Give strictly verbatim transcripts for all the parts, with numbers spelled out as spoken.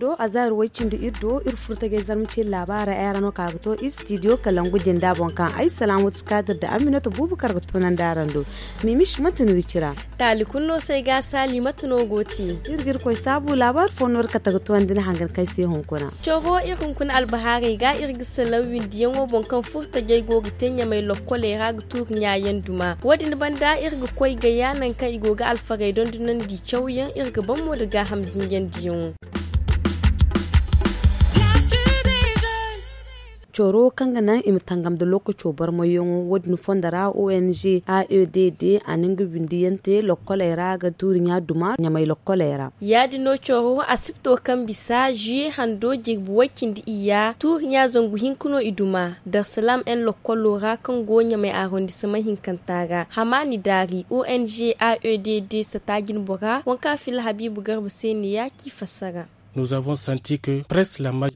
Do a zaari way-cindi iri do iri furo tajay zarma ciiri laabaarey ay ra no ka ga to istidiyo kalangu jinda boŋ kaŋ ay salaamatu kaadir nda aminata buubu kar ga tunandi araŋ do. Mimis manti no iri cira. Taali kulu no se ay ga a saali mate no go te. Iri ga iri koy saabu laabaari fo no iri kate ga tunandi ni hangan kaŋ ay se hunkuna. Coro iri hunkuna albahaarey ga iri ga salaŋ windiyaŋo boŋ kaŋ furo tajay go ga te ɲamay lokkoley ra ga tuuri ɲaayaŋ duma wo- din banda iri ga koy gaya nangu kaŋ i go ga alfarey dondonandi cawyaŋ iri ga ban mo nda gaaham zinjandiyaŋo. Coro kaŋ ga naŋ i ma tangam nda lookaco barmayyaŋo wo- din fondo ra ong aedd a na nga windiyaŋ te lokkoley ra ga tuuri ɲa duma ɲamay lokkoley ra. Ya- din no coro asipto kaŋ bisa zuye hando jirbi way-cindi iyya tuuri ɲa zangu hinka no i duma darsalam en lokkolo ra kaŋ go ɲamay arondisama hinkanta ra hamaani daari ong aedd sata jinbora waŋ kaŋ a filla habiibu garba se ne ya ci fassara.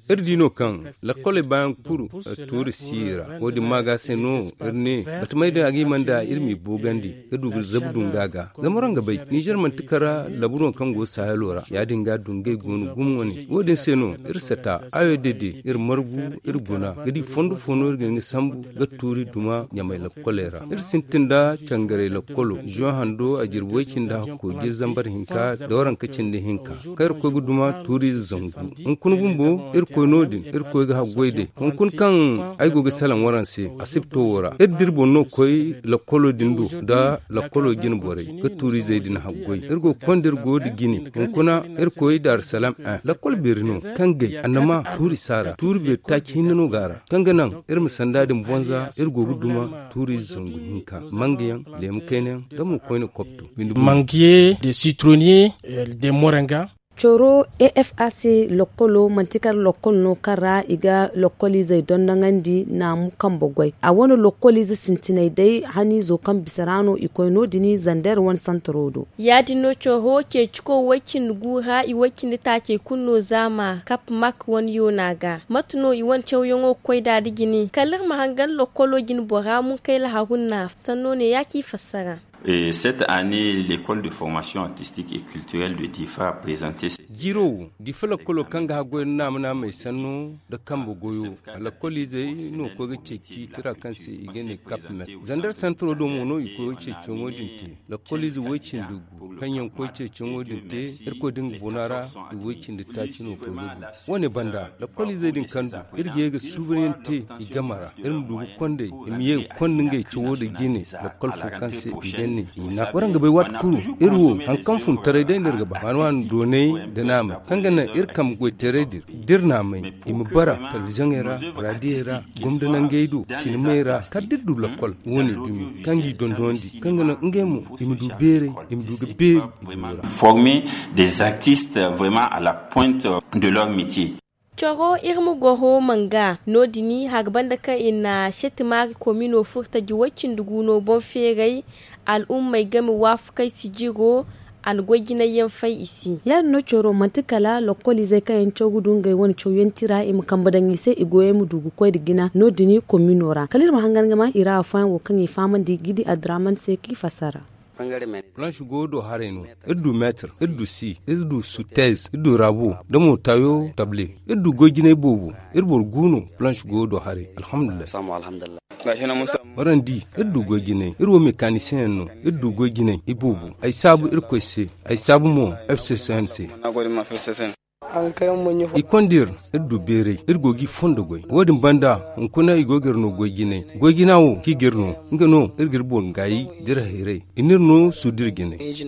Iri di no kaŋ lakkoley baayaŋ kulu tuuri si i ra. Wo- din maaga se no iri ne batamey din a ga hima nda iri m'i boogandi ga du ga zabu dunga ga zama waraŋ ga bay nizer manti kara labuno kaŋ go sahelo ra ya- din ga dungey go no gumo wane wo- din se no iri sata ayo dede iri margu iri guna ga di fondo fo no iri ga hin ga sambu ga tuuri duma ɲamay lakkoley ra iri sintin nda cangaray lakkolo zuwa hando a jirbi way-cindi hakko jiiri zambar hinka da waranka cindi hinka kaŋ iri koy ga duma tuuriize zangu hunkuna bumbo iri koy no- din iri koy ga haggoy day hunkuna kaŋ ay go ga salaŋ waraŋ se asipto wo ra iri da iri boŋ no koy lakkolo din do nda lakkolo jine borey ga tuuriizey din haggoy iri go ga konda iri go da jine hunkuna iri koy daarusalam en lakkol beeri no kaŋ gay annama tuuri si a ra tuuri beeri taaci hinne no go a ra kaŋ ga naŋ iri ma sanda din bonza iri go ga duma tuuriize zangu hinka mangayaŋ leemu kaynayaŋ da mo koyne kopto. Manguier, des citronniers, des moringas. Coro efac lokkolo manti kala lokkol no kaŋ ra i ga lokkoliizey dondoŋandi naamu kambe goy a wane lokkoliize sintinay day haniizo kaŋ bisa ra no i koy no- din zander wane santaro do. Ya- din no coro ceeciko way-cindi gu ra i way-cindi taacey kulu no zaama kap mak wane yoona ga mate no i wane cawyaŋo ga koy nd'a nda jine kala iri ma hangan lokkolo jine bora munkayla harunna sanno ne ya ci fassara. Cette année l'école de formation artistique et culturelle de diffa a présenté ses. Jiiro wo diffa lakkolo kaŋ ga haggoy nda naama naamey sanno nda kambe goyo. Lakkoliizey no koy ga ceeci tira kaŋ se i ga ne kap met zander santaro do mo no i koy ga ceeciyaŋo din te. Lakkoliize way-cindi gu kaŋ yaŋ koy ceeciyaŋo din te irkoy da nga bono ra i way-cindi taaci no koy ga gu. Wo- ne banda lakkoliizey din kaŋ du iri ga ye ga suubanyaŋ te i game ra iri ma du ga kond'ey i ma ye ga konda ngey cawo nda jine lakkol fo kaŋ se i ga ne i na waraŋ ga bay waati kulu iri wo hari kaŋ funtaray day no iri ga ba waani waani doonay nda naamay kaŋ ga naŋ iri kambe goytaray din da iri naamay i ma bara talbizoŋey ra raadiyey ra gomda nangey do sinimey ra kala da iri du lakkol wo- ne dumi kaŋ g'i dondonandi kaŋ ga naŋ ngey mo i ma du beeray i ma du ga beeri i goyo ra. Former des artistes vraiment à la pointe de leur métier. Coro iri ma goro manga no- din hari banda kaŋ i na setimaari komino furtaji way-cindi gu no boŋ feeray al'ummey game waafakey sijiro a na goy jinay yaŋ fay i se. Ya- din no coro manti kala lokkoliizey kaŋ yaŋ caw ga du ngey wane cawyaŋ tira i ma kambe daŋ i se i goyey ma du ga koy nda jina no- din komino ra kala iri ma hangan ga ma i ra afooyaŋ wo kaŋ i fahamandi gidi adraman se kaŋ i fassara. Planche go do haray no iri du meetir iri du si iri du sutez iri du rabo da mo tayo table iri du goy jinay boobo iri boro gu no planche go do haray alhamdulillahi. Waraŋ di iri du goy jinay iri wo mekanisiyeŋ yaŋ no iri du goy jinay i boobo ay saabu irkoy se ay saabu mo f c c n se. I konda iri iri du beeray iri go g'i fondo goy wo- din banda hunkuna i go ga iri no goy jinay goy jina wo kaŋ i ga iri no nga no iri ga iri boŋ gaayi da iri hayray i n'iri no suudir jinay. Iri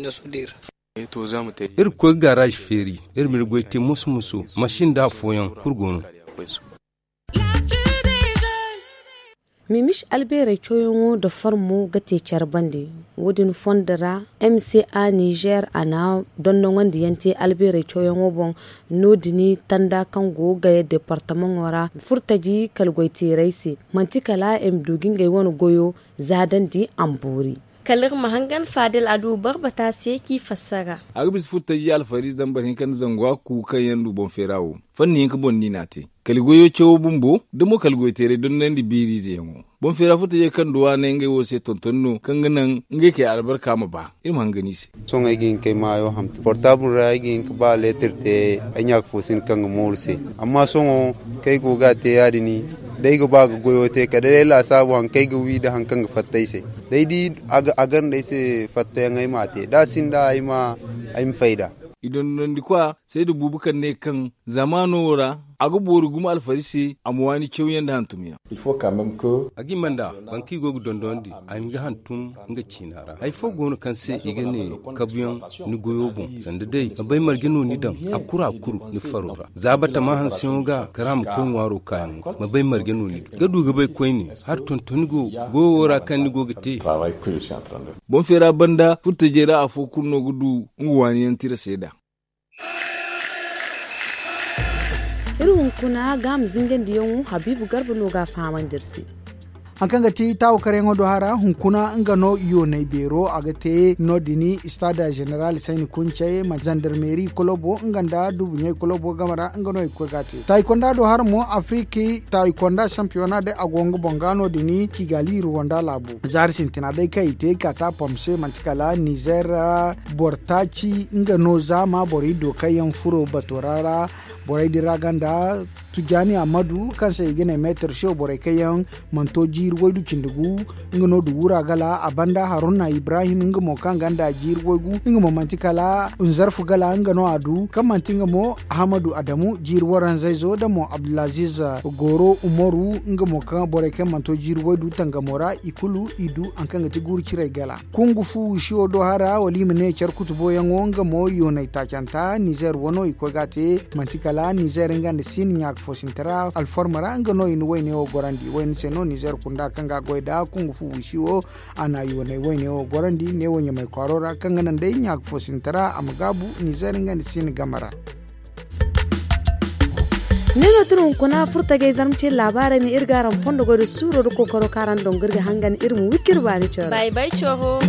ga koy ga garaazi feeri iri m'iri goy te moso moso masin nda afooyaŋ kulu go no. Mimis albeerey cawyaŋo nda farmo ga te care bande wo- din fondo ra m c a nizer a na dondoŋandiyaŋ te albeerey cawyaŋo boŋ no- din tanda kaŋ go ga gaya departamaŋo ra furtaji kala goyteerey se manti kala i ma du ga ngey wane goyo zaadandi a ma boori. Kala iri ma hangan faadel a du barbata se kaŋ i fassara. A ga bisa furtaji alfari zambar hinka nda zangu hakku kaŋ yaŋ du boŋ feera wo fanni hinka boŋ no i n'a te. Kala goyo cawo bumbo da mo kala goyo teeray dondonandi biiriize yaŋo. Boŋ feera furtajey kaŋ du waaney ngey wo se tonton no kaŋ ga naŋ ngey kay albarka ma ba. Iri ma hangan i se. Sohõ ay ga hin kay maayo hamti portaabul ra ay ga hin ka ba leetir te. Ay ɲaaka fo sinda kaŋ ga mooru se. Amma sohõ kaŋ ay go ga a te ya- din, da ay ga ba ga goyo te kala day laasaabu haŋ kaŋ ay ga wi nda haŋ kaŋ ga fatta ay se. Day di a ganda ay se fattayaŋ ay ma a te da a sinda ay ma fayda. I dondonandi kwa sayda buubu kaŋ ne kaŋ zamaano wo ra a ga boori gumo alfari se a ma waani cawyaŋ nda hantumyaŋ. A ga hima nd'a boro kaŋ i go ga dondonandi a ma hin ga hantum nga ciina ra. Hari fo go no kaŋ se i ga ne kabuyaŋ ni goyo boŋ sanda day ma bay marje no ni daŋ a kuru a kuru ni faro ra za batama hanseyaŋo ga kara ma koy ŋwaaro kaayaŋo ma bay marje no ni du ga du ga bay koyne. Hari tontoni go goyo wo ra kaŋ ni go ga te. Boŋ feera banda furtajey ra afo kulu no ga du nga waaniyaŋ tira seeda. Iri hunkuna gaama zinjandiyaŋo habiibu garba no ga a fahamandi iri se. Hari kaŋ ga ti taawo karyaŋo do hara hunkuna nga no yoonay beero a ga te no- din istaada zeneral sayni kuncey ma zandarmeeri kolobo nga nda dubuɲey kolobo game ra nga no i ga koy ga a te taayi konda do hara mo afiriki taayi konda sampiyona day a go nga boŋ ga no- din kigali ruwanda laabu zaari sintina day kaŋ i te kaata pom se manti kala nizer boro taaci nga no zaama borey do kaŋ yaŋ furo batora ra. Borey din ra ganda tujani ammadu kaŋ se i ga ne meetar show borey kaŋ yaŋ manto jiiri waydu cindi gu nga no du wura gala a banda haruna ibrahim nga mo kaŋ ganda jiiri waygu nga mo manti kala nzarfu gala nga no a du kaŋ manti nga mo ahamadu adamu jiiri waranzayzo da mo abdulaziz goro umaru nga mo kaŋ borey kaŋ manto jiiri waydu tangamo ra i kulu i du haŋ kaŋ ga ti guuru ciray gala. Kungu fu wisiyo do hara wala i ma ne care kutuboyaŋo nga mo yoonay taacanta nizer wano i koy ga a te manti kala nizer nga nda sin ɲaaka fo sinti ra alforma ra nga no i na wayne wo gorandi wayne se no nizer kunda kaŋ ga a goy da kungu fu wisiyo a na yoonay wayne wo gorandi neewo ɲamay kwaaro ra kaŋ ga naŋ day ɲaaka fo sinti ra a ma gaabu nizer nga nda sin game ra. Ne no tun hunkuna furtagay zarma ce laabaarey ma iri ga araŋ fondo goy da suuro da kookaro kaŋ araŋ dongo iri ga hangan iri ma wikir baani coro. Bay bay coro.